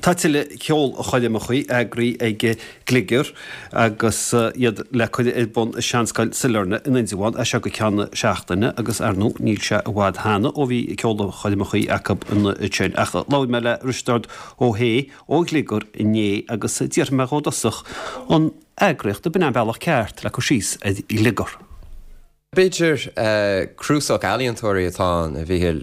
Tá tuilleadh ceolchoirmeacha eagraithe ag Gliogar agus iad le cur ar bun i Seanscoil Sailearna in Indreabhán as seo go ceann seachtaine agus ar ndóigh níl sé i bhfad cheana ó bhí ceolchoirmeacha acu ansin. Ach labhair mé le Risteárd Ó hAodha ó Ghliogar inné agus d'fhiafraigh mé dhó i dtosach an eagraíocht ab in é an bealach ceart le cur síos ar Ghliogar. B'fhéidir cnuasach ealaíontóirí atá ann, a Mhíchíl.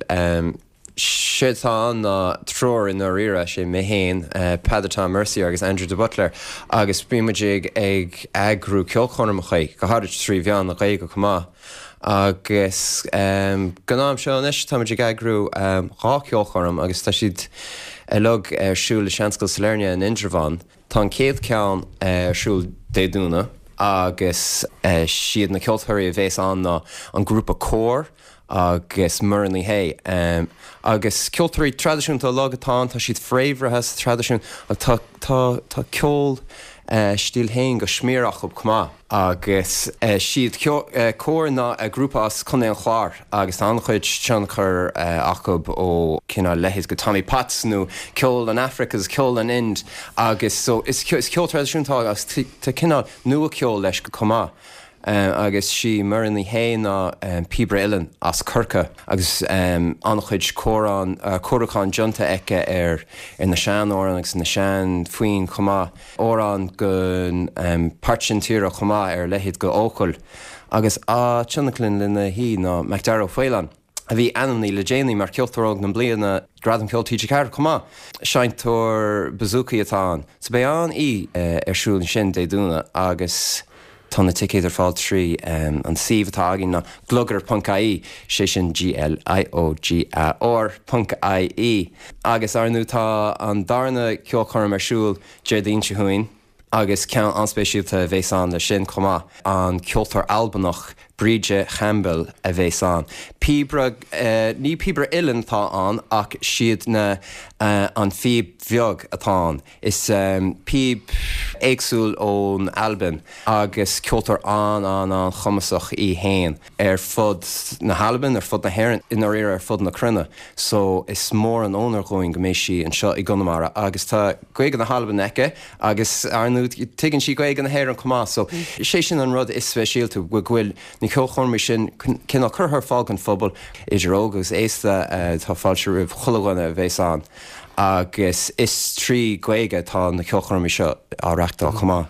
Séard atá ann ná triúr i ndáiríre, sé mé féin, Peadar Tom Mercier agus Andrew de Buitléir agus bíonn muid ag eagrú ceolchoirmeacha, go háirid trí mheán na Gaeilge chomh maith. Agus don am seo anois tá muid ag eagrú dhá cheolchoirm agus tá siad uilig ar siúl i Seanscoil Sailearna in Indreabhán. Tá an chéad cheann ar siúl Dé Domhnaigh agus siad na ceoltóirí a bhéas ann ná an grúpa Cór agus Muireann Ní Shé. Agus ceoltóirí traidisiúnta uilig atá ann, tá siad fréamhaithe sa traidisiún ach tá tá tá ceol a stíl féin go smior acu chomh maith. Agus siad Cór ná grúpa as Contae an Chláir agus tá an-chuid tionchar acu ó cineál leithéid go Tommy Potts nó ceol an Afraic agus ceol an Ind agus so is ceol traidisiúnta agus tá cineál nua-cheol leis chomh maith. Agus sí Muireann Ní Shé ná píobaire uilleann as Corcaigh agus an-chuid cóiriúchán déanta aici ar na sean-amhráin agus na sean-fhoinn chomh maith. Amhráin gon páirt sin tíre chomh maith ar a leithéid go Eochaill agus á tionlacan lena thaobh ná Macdara Ó Faoláin, a bhí ainmnithe le déanaí mar Cheoltóir Óg na Bliana Gradam Ceoil TG4 chomh maith. Seinnteoir bouzouki atá ann. So beidh an-oíche ar siúl ansin Dé Domhnaigh agus tá na ticéid ar fáil trí an suíomh atá againn ná gliogar.ie, sé sin G-L-I-O-G-A-R ponc I-E. Agus ar ndú tá an darna ceolchoirm ar siúl Déardaoin seo chugainn agus ceann an-speisialta a bhéas ann leis sin chomh maith, an ceoltóir Albanach Bríde Chaimbeul a bhéas ann. Píobaire, ní píobaire uilleann atá ann ach siad na, an phíb bheag atá ann. Is píb éagsúil ón Albain agus ceoltóir an-an-an-chumasach í fhéin. ar fud na hAlban, ar fud na hÉireann, i ndáiríre ar fud na cruinne. So is mór an onóir dhúinn go mbeidh sí anseo i gConamara agus tá Gaeilge na hAlban aici agus ar ndú tuigeann sí Gaeilge na hÉireann chomh maith. So sé sin an rud is speisialta, go bhfuil na ceolchoirmí sin cineál curtha ar fáil don phobal, idir óg agus aosta, tá fáilte roimh chuile dhuine a bheas ann. Agus is trí Ghaeilge atá na ceolchoirmí seo á reachtáil chomh maith.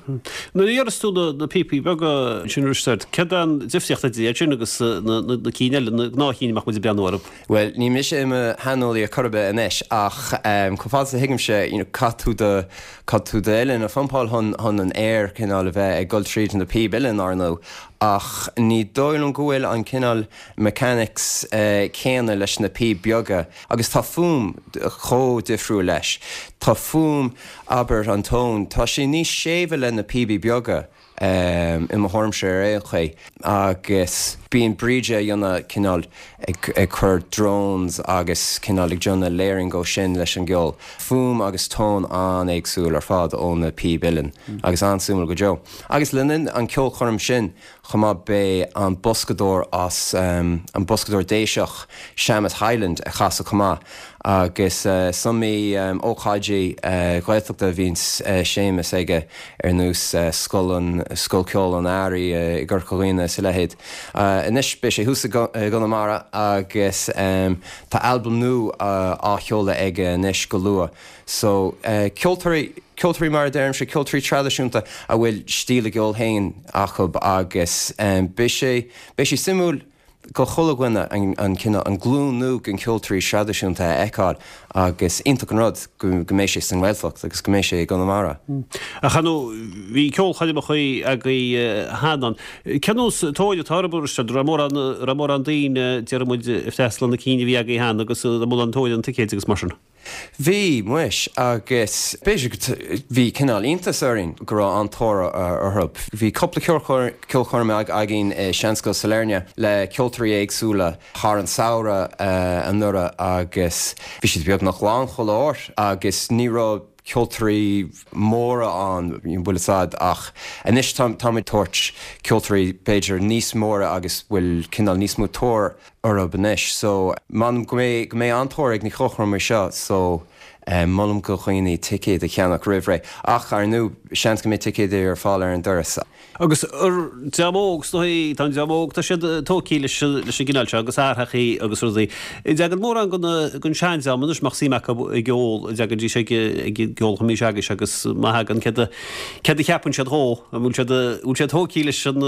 Nuair a dhéanas tú na píopaí beaga sin a Risteaird, céard é an difríocht idir iad sin agus na cinn eile, na gnáthchinn a mbeadh muid ag breathnú orthu? Bhuel, ní mise i mo shaineolaí ar chor ar bith anois ach chomh fada is a thuigimse, you know, caithfidh tú do, caithfidh tú d'uillinn a phumpáil chun, chun an aer cineál a bheith ag dul tríd na píb uilleann, ar ndóigh, ach ní dóigh liom go bhfuil an cineál mechanics céanna leis na píb beaga. Agus tá fuaim chomh difriúil leis. Tá fuaim, abair, an tone, tá sé níos séimhe le na píobaí beaga, i mo thuairimse ar aon chaoi. Agus bíonn Bríde a dhéanamh cineál ag cur drones agus cineál ag déanamh layering dhó sin leis an gceol. Fuaim agus tone an-éagsúil ar fad ó na píb uilleann agus an-suimiúil go deo. Agus le linn an ceolchoirm sin, Chomh maith beidh an boscadóir as, an boscadóir Déiseach, Seamus Hyland ag casadh chomh maith agus is iomaí ócáidí Gaeltachta a bhíonns Séamus aige ar nós Scoil an, Scoil Ceoil an Earraigh i gCorca Dhuibhne is a leithéid. Anois beidh sé thuas i gConamara agus tá albam nua á sheoladh aige anois go luath. So, ceoltóirí, ceoltóirí mar a deirimse, ceoltóirí traidisiúnta a bhfuil stíl a gceoil féin acu agus beidh sé, beidh sé suimiúil go chuile dhuine an, an cineál, an glúin nua den cheoltóirí traidisiúnta a fheiceáil agus iontach an rud go, go mbeidh sé sa nGaeltacht agus go mbeidh sé i gConamara. Ach ar ndóigh, bhí ceolchoirmeacha agaibh cheana. Cén nós tóir atá orthu, a Risteaird? Raibh mórán, raibh mórán daoine, déarfaidh muid, ag freastal ar na cinn a bhí agaibh cheana agus raibh mórán tóir ar na ticéid agus mar sin? Bhí, muis, agus b'fhéidir go, bhí cineál iontas orainn go raibh an-tóir orthu. Bhí cúpla ceolchoirm againn i Seanscoil Sailearna le ceoltóirí éagsúla thar an samhradh anuraidh agus bhí siad beagnach lán chuile uair agus ní raibh ceoltóirí móra ann, bhfuil fhios a'd, ach anois táimid ag tabhairt ceoltóirí b'fhéidir níos móra agus bhfuil cineál níos mó tóir orthu anois so m'anam go mbeidh, go mbeidh an-tóir ag na ceolchoirmí seo so. Molaim go dhaoine ticéad a cheannach roimh ré, ach ar ndú, seans go mbeidh ticéid ar fáil ar an doras. Agus an dream óg, is dóigh, tá an dream óg, tá siad tógtha leis an gcineál seo agus athraitheachaí agus rudaí. An dtagann mórán den seandream anois, a mbeadh suim acu i gceol, an dtagaidís ag an gceolchoirm s'agaibhse agus má thagann, céard a cheapann siad dhó? An bhfuil siad, bhfuil siad tógtha leis an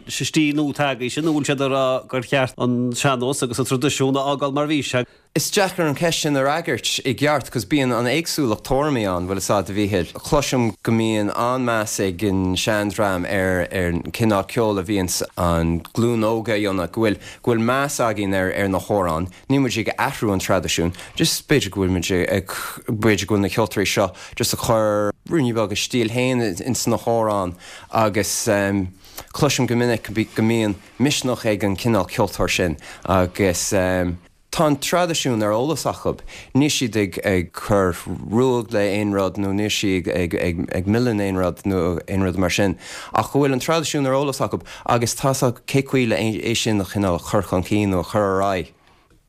stíl nua atá agaibhse nó bhfuil siad ag rá gur cheart an sean-nós agus an traidisiún a fhágáil mar bhí sé? Is deacair an cheist sin a fhreagairt i gceart 'cause bíonn an éagsúlacht tuairimí ann, bhfuil fhios a'd, a Mhíchíl. Cloisim go mbíonn an-meas ag an seandream ar ar an cineál ceoil a bhíonns an glúin óg a dhéanamh, go bhfuil go bhfuil meas againn ar ar na hamhráin, níl muid ag athrú an traidisiún, just b'fhéidir go bhfuil muid ag b'fhéidir go bhfuil na ceoltóirí seo just ag cur ruainne beag a stíl féin ins na hamhráin agus cloisim go minic go mbíonn misneach ag an cineál ceoltóir sin agus. Tá an traidisiún ar eolas acu. Níl siad ag cur ruaig le aon rud nó níl siad ag milleadh aon rud nó aon rud mar sin ach go bhfuil an traidisiún ar eolas acu agus tá 'fhios acu cé chaoi le é sin a chineál a chur chun cinn nó a chur ar aghaidh.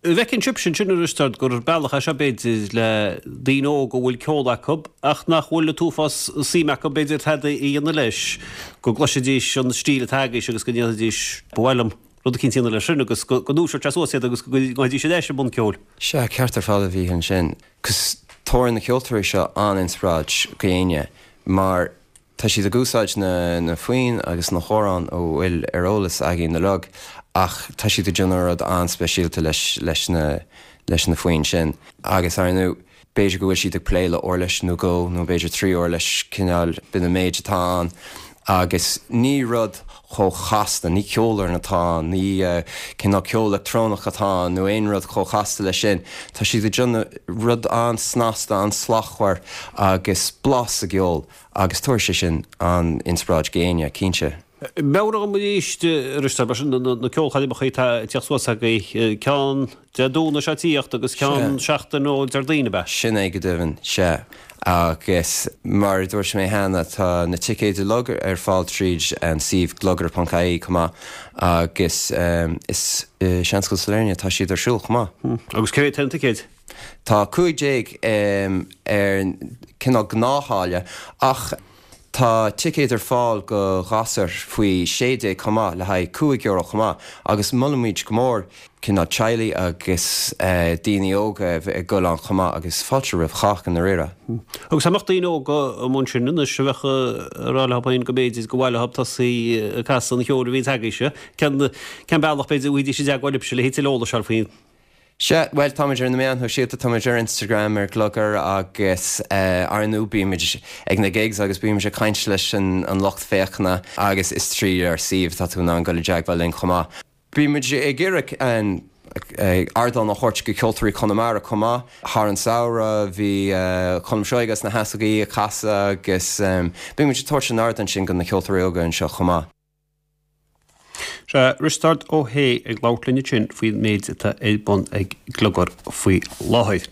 An bhfeiceann sibhse ansin a Risteaird gur bealach é seo b'fhéidir le daoine óga a bhfuil ceol acu ach nach bhfuil an t-uafás suim acu b'fhéidir tada a dhéanamh leis, go gcloisfidís an stíl atá agaibhse agus go ndéarfaidís 'ba mhaith liom rud eicínt a dhéanamh leis sin agus go ndúiseodh sé suas iad agus go ngabhfaidís ar ais i mbun ceoil. Sea, ceart ar fad a Mhíchíl ansin. 'Cause tabharann na ceoltóirí seo an-inspioráid go éinne mar tá siad ag úsáid na na foinn agus na hamhráin a bhfuil ar eolas againn uilig ach tá siad ag déanamh rud an-speisialta leis leis na leis na foinn sin agus ar ndú B'fhéidir go bhfuil siad ag plé le uirlis nó dhó nó b'fhéidir 3 uirlis, cineál, b'in an méid atá ann agus ní rud chomh chasta, ní ceolfhoireann atá ann, ní cineál ceol leictreonach atá ann nó aon rud chomh chasta leis sin. Tá siad ag déanamh rud an-snasta, an-slachtmhar agus blas sa gceol agus tabharfaidh sé sin an-inspioráid go éinne, cinnte. Meabhraigh dom arís, a Risteaird, mar sin, na ceolchoirmeacha atá ag tíocht suas agaibh, ceann Dé Domhnaigh seo ag tíocht agus ceann seachtain ó Déardaoin, ab ea? Sin é go deimhin, sea. Agus mar a dúirt mé cheana, tá na ticéid uilig ar fáil tríd an suíomh gliogar ponc ie chomh maith agus is i Seanscoil Sailearna atá siad ar siúl chomh maith. Agus cé mhéad atá na ticéid? Tá 15 ar cineál gnáththáille ach Tá ticéid ar fáil go ghasúir faoi 16 chomh maith le haghaidh €5 chomh maith agus molaimid go mór cineál teaghlaigh agus daoine óga a bheith ag dul ann chomh maith agus fáilte roimh chách i ndáiríre. Agus dá mbeadh daoine óga amuigh ansin anois a bheadh ag rá leo féin go mb'fhéidir gur mhaith leo tosaí ag casadh an cheoil a bhíonns agaibhse, cén cén bealach b'fhéidir a bhfaighidís i dteagmháil libhse le tuilleadh eolais a fháil faoin Sea, bhuel, táimid ar na meáin shóisialta, táimid ar Instagram, ar Gliogar agus ar ndú bímid ag na gigs agus bímid ag caint leis an lucht féachana agus is tríd ár suíomh atá tú in ann dul i dteagmháil linn chomh maith. Bímid ag iarraidh ardán a thabhairt go ceoltóirí Chonamara chomh maith. Thar an samhradh bhí Colm Seoighe as na hEasógaí ag casadh agus bímid ag tabhairt an ardán sin go na ceoltóirí óga anseo chomh maith. Sea, Risteárd Ó hAodha ag labhairt linn ansin faoin méid atá ar bun ag Gliogar faoi láthair.